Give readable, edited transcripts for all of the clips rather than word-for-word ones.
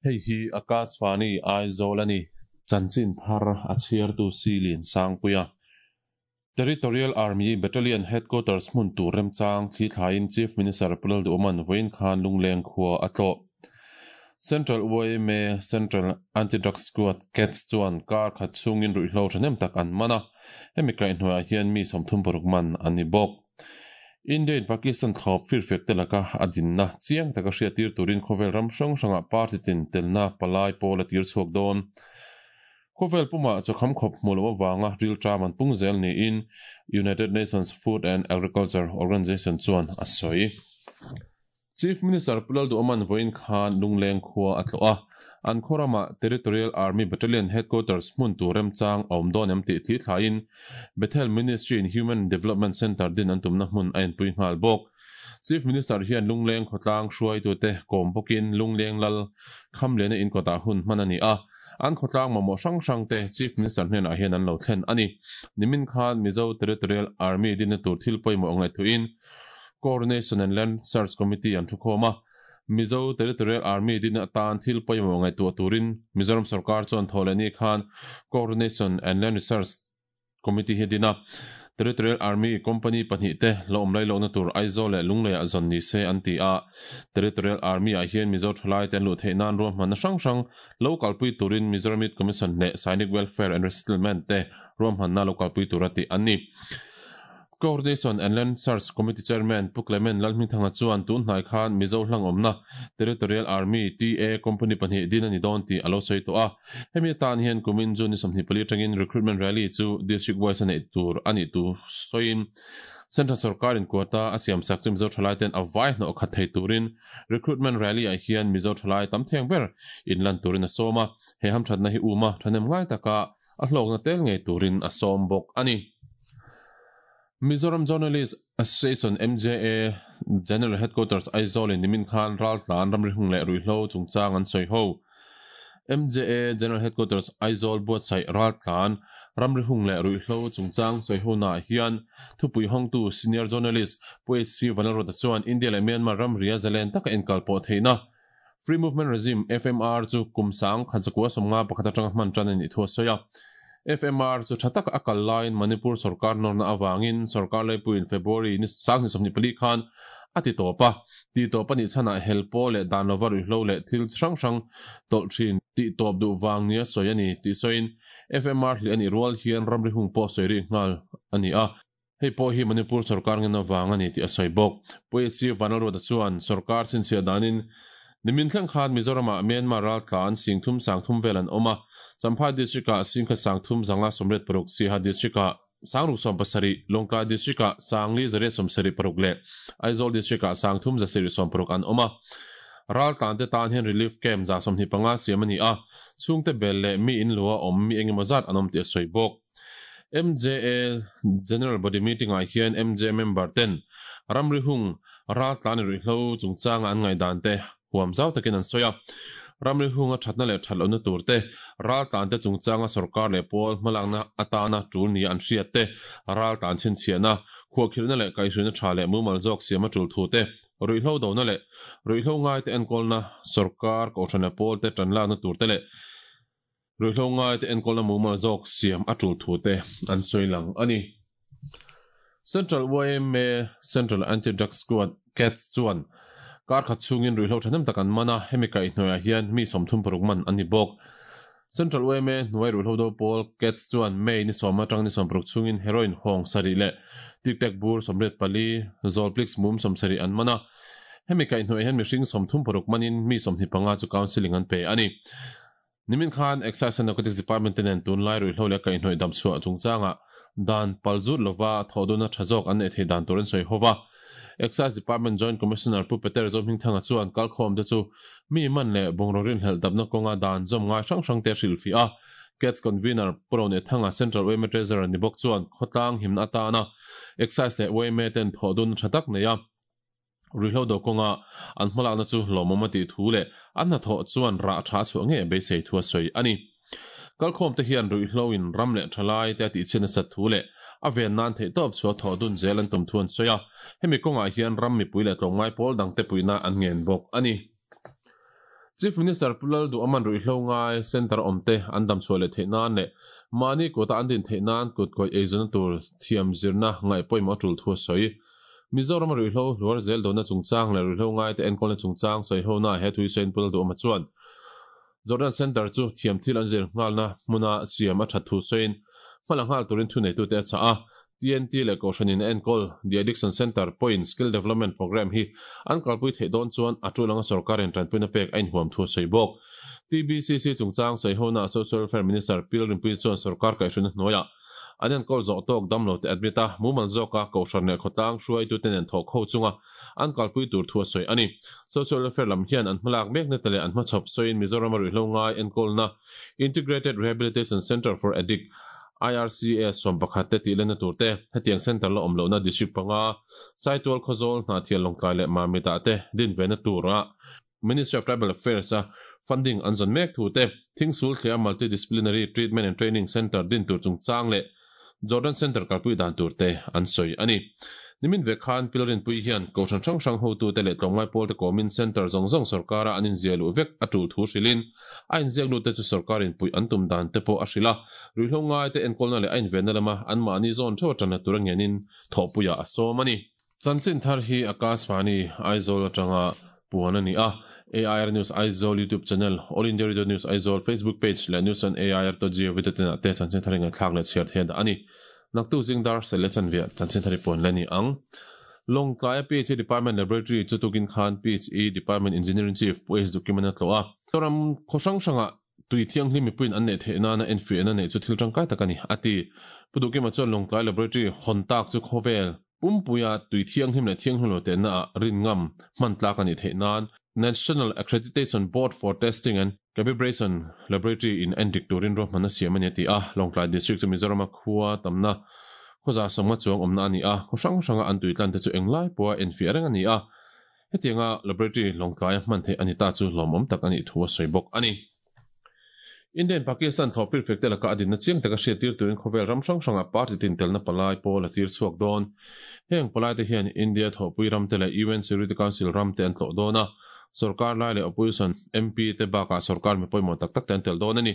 Hei hi Akashvani Aizawl a ni. Chanchin thar a chhiartu Silin Sangpuia. Territorial Army Battalion Headquarters hmun tur remchang thli thlaiin Chief Minister Pu Lalduhawman vawiin khan Lungleng khua a tlawh. Central yma Central Anti-Drug Squad, cats, chuan kar khat chhungin ruihhlo thahnem tak an man a, hemi kaihhnuaiah hian mi 36 man an ni bawk. India in Pakistan thlawp firfiak te laka a dinna chiang taka hriattir turin khawvel ram hrang hrangah party tin telna palai pawl a tir chhuak dawn. Khawvel pumah chawkham khawp hmuh loh avanga rilṭam an pung zel niin United Nations Food and Agriculture Organization chuan a sawi. Chief Minister Pu Lalduhawman vawiin khan Lungleng khua a tlawh a, an khaw ramah Territorial Army Battalion Headquarters hmun tur remchang a awm dawn em tih thli thlaiin Bethel Ministry in Human Development Centre din an tumna hmun a inpui nghal bawk. Chief Minister hian Lungleng khawtlang hruaitute kawm bawkin Lungleng Lal Khamliana inkawtah hun hman a ni a, an khawtlang mamawh hrang hrangte Chief Minister hnenah hian an lo thlen a ni. Nimin khan Mizo Territorial Army dinna tur thil pawimawh ngaihtuahin Coordination and Land Search Committee an thukhawm a, Mizo Territorial Army din atan thil pawimawh ngaihtuah turin Mizoram sorkar chuan thaw leh ni khan Coordination and Land Research Committee hi a din a. Territorial Army Company pahnihte la awm lailawkna tur Aizawl leh Lungleiah zawn ni se an ti a. Territorial Army-ah hian Mizo thalaite an luh theih nan ruahmanna hrang hrang lo kalpui turin Mizoram Youth Commission leh Sainik Welfare and Resettlement te ruahmanna lo kalpui tura tih an ni. Coordination and Land Search Committee Chairman Pu Clement Lalhmingthanga chuan tun hnai khan Mizo hlangawmna Territorial Army, TA, Company pahnih din a ni dawn tih a lo sawi tawh a. Hemi atan hian kumin June ni 24 atangin Recruitment Rally chu District wise a neih tur a nih thu sawiin Central Sorkarin quota a siam sak chu Mizo thalai ten a vai hnawh khat thei turin Recruitment Rally ah hian Mizo thalai tam theng ber inlan turin a sawm a. He hamthatna hi uma thahnem ngai taka a hlawkna tel ngei turin a sawm bawk a ni. Mizoram Journalist Association, MJA, General Headquarters Aizawl in nimin khan raltlan ramri hung leh ruihhlo chungchang an sawi ho. MJA General Headquarters Aizawl buatsaih raltlan ramri hung leh ruihhlo chungchang sawi honaah hian thupui hawngtu Senior Journalist Pu HC Vanlalruata chuan India leh Myanmar ramria zalen taka inkalpawh theihna Free Movement Regime, FMR, chu kum sang khan chakua 51 atanga hman tan a nih thu a sawi a. FMR chu tha taka a kal laiin Manipur sorkar nawrna avangin sorkar laipuiin February ni sang hnih 24 khan a ti tawp a. Ti tawp a nih chhanah hel pawl leh dan lova ruihhlo leh thil chi hrang hrang tawlh thin tih tawp duh vang nia sawi a ni tih sawiin FMR hlih a nih rual hian ramri hung pawh sawi rih nghal a ni a. Hei pawh hi Manipur sorkar ngen avang a ni tih a sawi bawk. Pu HC Vanlalruata chuan sorkar chhinchhiah danin nimin thleng khan Mizoramah Myanmar raltlan singthum sangthum vel an awm a, Champhai District-ah singkhat sangthum zanga 86, Siaha District-ah sangruk 17, Lawngtlai District-ah sangli zariat 76 leh Aizawl District-ah sangthum zasarih 60 an awm a. Raltlante tan hian relief camp 125 siam a ni a, chhungte bel leh mi in lua awm mi engemaw zat an awm tih a sawi bawk. MJA General Body Meeting-ah hian MJA member ten ramri hung raltlan ruihhlo chungchanga an ngaihdan te huam zau takin an sawi a. Ramri hunga thatna leh that lohna tur te, raltlan te chungchanga sorkar leh pawl hmalakna atana tul nia an hriat te, raltlan chhinchhiahna, khuahkhirhna leh kaihhruina tha leh mumal zawk siam a tul thu te, ruihhlo dona leh ruihhlo ngaite enkawlna sorkar kohhran leh pawl te tanlakna tur te leh Ruihhlo ngaite enkawlna mumal zawk siam a tul thu te an sawi lang a ni. Central yma Central Anti-Drug Squad, cats, chuan kar khat chhungin ruihhlo thahnem tak an man a, hemi kaihhnuaiah hian mi 36 man an ni bawk. Central yma hnuai ruihhlo do pawl, cats, chuan May ni sawm atang ni 60 chhungin heroin hawng sarih leh tic-tac bur 84, Zolplix mum 70 an man a. Hemi kaihhnuaiah hian mihring 36 manin mi 25 chu counselling an pe a ni. Nimin khan Excise and Narcotics Department te nen tunlai ruihhlo leh kaihhnawih damchhuah chungchangah dan palzut lova thawhduna tha zawk an neih theih dan tur an sawi ho va. Excise Department Joint Commissioner Pu Peter Zohmingthanga chuan kalkhawm te chu mi man leh bungraw rinhlelh dapna kawnga dan zawm ngai hrang hrang te a hrilhfiah a. Cats Convener Pu Ronethanga Central yma Treasurer ni bawk chuan khawtlang himna atana Excise leh yma ten thawhduna tha tak nei a. Ruihhlo do kawnga an hmalakna chu lawmawm a tih thu leh an hnathawh chuan rah tha a chhuah ngei a beisei thu a sawi a ni. Kalkhawm te hian ruihhlo in ram leh thalai te a tihchhiat nasat thu leh a ven nan theihtawp chhuah thawh dun zel an tum thu an sawi a, hemi kawngah hian ram mipui leh tlawmngai pawl dangte puihna an ngen bawk a ni. Chief Minister Pu Lalduhawma'n ruihhlo ngai Centre awmte an damchhuah leh theih nan leh mahni kuta an din theih nan kutkawih eizawnna tur thiam zirna ngaih pawimawh a tul thu a sawi. Mizorama ruihhlo hluar zel dawhna chungchang leh ruihhlo ngaite enkawlna chungchang sawihona he thu hi sawiin Pu Lalduhawma chuan Jordan Centre chu thiam thil an zir nghalna hmuna siam a that thu sawiin hmala nghal turin thuneitute a chah a. TNT leh Kohhranin a enkawl The Addiction Centre pawhin Skill Development Programme hi an kalpui theih dawn chuan a tul anga sorkarin tanpuina pek a inhuam thu a sawi bawk. TBCC chungchang sawihona Social Welfare Minister Pi Lalrinpuii chuan sorkar kaihhruina hnuaiah an enkawl zawh tawk damlo te admit a, mumal zawka Kohhran leh khawtlang hruaitute nen thawk ho chunga an kalpui tur thu a sawi a ni. Social Welfare lam hian an hmalak mekna te leh an hmachhawp sawiin Mizorama ruihhlo ngai enkawlna Integrated Rehabilitation Centre for Addict, IRCA, 11 te tih lenna tur te, hetiang centre la awm lohna district panga, Saitual, Khawzawl, Hnahthial, Lawngtlai leh Mamit ah te din ve na tura Ministry of Tribal Affairs a funding an zawn mek thu te, Thingsul thliah Multi-Disciplinary Treatment and Training Centre din tur chungchang leh Jordan Centre kalpui dan tur te an sawi a ni. Nimin ve khan Pilrinpui hian Kohhran hrang hrang hotute leh tlawmngai pawlte kawmin Centre zawng zawng sawrkara an inziah luh vek a tul thu hrilhin a inziak lutte chu sawrkarin puih an tum dan te pawh a hrilh a, ruihhlo ngaite enkawlna leh a invenna lama anmahni zawn theuh atana tura ngenin thawhpuiah a sawm a ni. Chanchin thar hi Akashvani Aizawl atanga puan a ni a, AIR News Aizawl YouTube channel, All India Radio News Aizawl Facebook page leh News on AIR dot gov dot in ah te chanchin thar hi ngaihthlak leh chhiar theih a dah a ni. Naktuk zing dar sel leh chanve ah chanchin thar hi puan leh a ni ang. Lawngtlaia PHE Department Laboratory chu tukin khan PHE Department Engineering Chief Pu H Dukiman a tlawh a. Zoram khaw hrang hrangah Tui thianghlim mipuiin an neih theih nana enfiahna neih chu thil tangkai tak a ni, a ti. Pu Duhkima chuan Lawngtlai Laboratory hawn tak chu khawvel pumpuia tui thianghlim leh thianghlim lo tehna ah rin ngam hman tlak a nih theih nan National Accreditation Board for Testing and Calibration Laboratory in endik turin ruahmanna siam a ni a ti a. Lawngtlai District chu Mizorama khua tamna khawza sawmnga chuang awmna a ni a, khaw hrang hranga an tui tlan te chu englai pawha enfiah reng a ni a. Hetianga laboratory lawngtlaia hman theih a ni ta chu hlawmawm tak a nih thu a sawi bawk a ni. India in Pakistan thlawh firfek te laka a dinna chiang taka hriattir turin khawvel ram hrang hrangah party tin telna palai pawl a tir chhuak dawn. Heng palai te hian India thawhpui ram te leh UN Security Council ram te an tlawh dawn a, sorkar lai leh opposition MP te bakah sorkar mi pawimawh tak tak te an tel dawn a ni.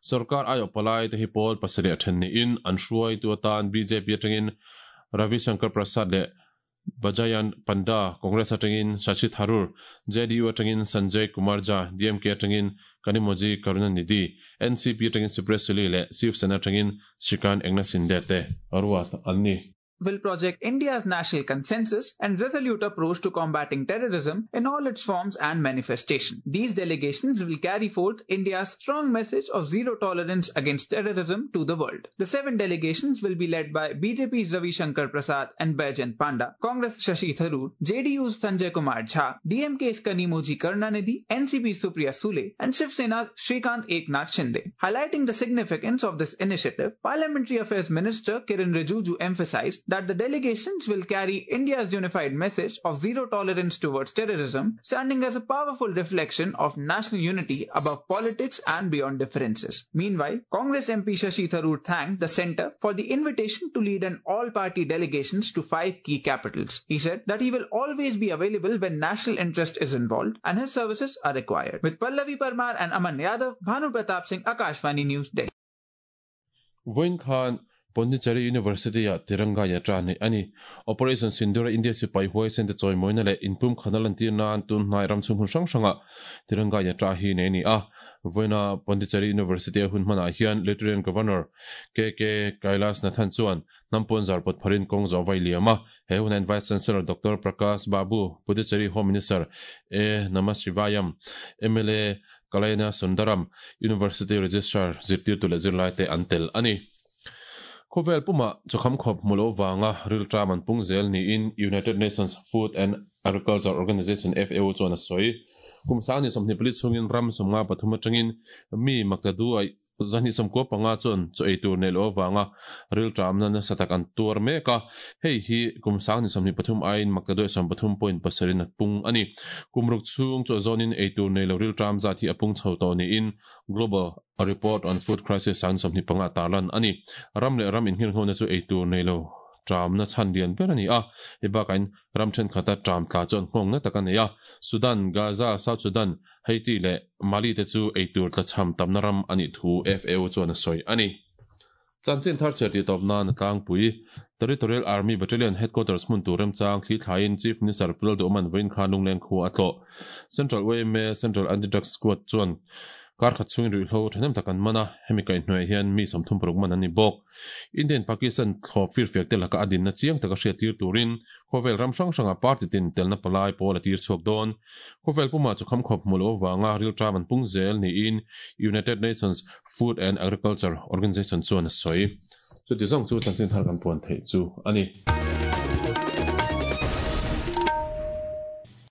Sorkar aiawh palai te hi pawl pasarih a then niin an hruaitu atan bjp atangin Ravi Shankar Prasad leh Bajayan Panda, Congress atangin Shashi Tharoor, JDU atangin Sanjay Kumar Jha, DMK atangin Kanimozhi Karunanidhi, NCP atangin Supriya Sule leh Shiv Sena atangin Shrikant Eknath Shinde te ruat an ni. Will project India's national consensus and resolute approach to combating terrorism in all its forms and manifestation. These delegations will carry forth India's strong message of zero tolerance against terrorism to the world. The seven delegations will be led by BJP's Ravi Shankar Prasad and Baijayant Panda, Congress Shashi Tharoor, JDU's Sanjay Kumar Jha, DMK's Kanimozhi Karunanidhi, NCP's Supriya Sule, and Shiv Sena's Shrikant Eknath Shinde. Highlighting the significance of this initiative, Parliamentary Affairs Minister Kiren Rijuju emphasized that the delegations will carry India's unified message of zero tolerance towards terrorism, standing as a powerful reflection of national unity above politics and beyond differences. Meanwhile, Congress MP Shashi Tharoor thanked the centre for the invitation to lead an all-party delegations to five key capitals. He said that he will always be available when national interest is involved and his services are required. With Pallavi Parmar and Aman Yadav, Bhanu Pratap Singh, Akashvani News, Delhi. Vawiin khan Pondicherry University-ah Tiranga Yatra neih a ni. Operation Sindoor-a India sipai huaisen te chawimawina leh inpumkhana lantir nan tun hnai ram chhung hmun hrang hrangah Tiranga Yatra hi nei a ni a. Vawiina Pondicherry University-a hun hmanah hian Lieutenant Governor KK Kailashnathan chuan hnam puan zar pawt pharin kawng zawh vai liam a. He hunain Vice Chancellor Doctor Prakash Babu, Puducherry Home Minister A Namasivayam, mla Kalaina Sundaram, University Registrar zirtirtu leh zirlaite an tel a ni. Khawvel pumah chawkham khawp hmu lo vanga rilṭam an pung zel niin United Nations Food and Agriculture Organization, FAO, chuan a sawi. Kum sang ni 24 chhungin ram 53 atangin mi makta duai 295 chuan chaw ei tur neih loh avanga rilṭamna nasa tak an tuar mek a, hei hi kum sang ni 23 aiin makta duai 13.7 in a pung a ni. Kum ruk chhung chaw zawnin ei tur nei lo rilṭam zat hi a pung chho tawh niin Global Report on Food Crisis sang ni 25 a tarlan a ni. Ram leh ram inhirnghona chu ei tur nei lo. ṭamna chhan lian ber a ni a. Hei bakahin ram ṭhenkhata ṭam tla chuan nghawng na tak a nei a. Sudan, Gaza, South Sudan, Haiti leh Mali te chu eitur tlachham tamna ram a nih thu FAO chuan a sawi a ni. Chanchin thar chhiar tih tawp nan a tlangpui. Territorial Army Battalion Headquarters hmun tur remchang thli thlaiin Chief Minister Pu Lalduhman vawiin khan Lungleng khua a tlawh. Central yma Central Anti-Drugs Squad chuan kar khat chhungin ruihhlo thahnem tak an man a, hemi kaihhnuaiah hian mi 36 man an ni bawk. Indian Pakistan thlawp firfiak te laka a dinna chiang taka hriattir turin khawvel ram hrang hrangah party tin telna palai pawl a tir chhuak dawn. Khawvel pumah chu khamkhawp hmu lo avanga rilṭam an pung zel niin United Nations Food and Agriculture Organization chuan a sawi. Chuti zawng chu chanchin thar kan puan theih chu a ni.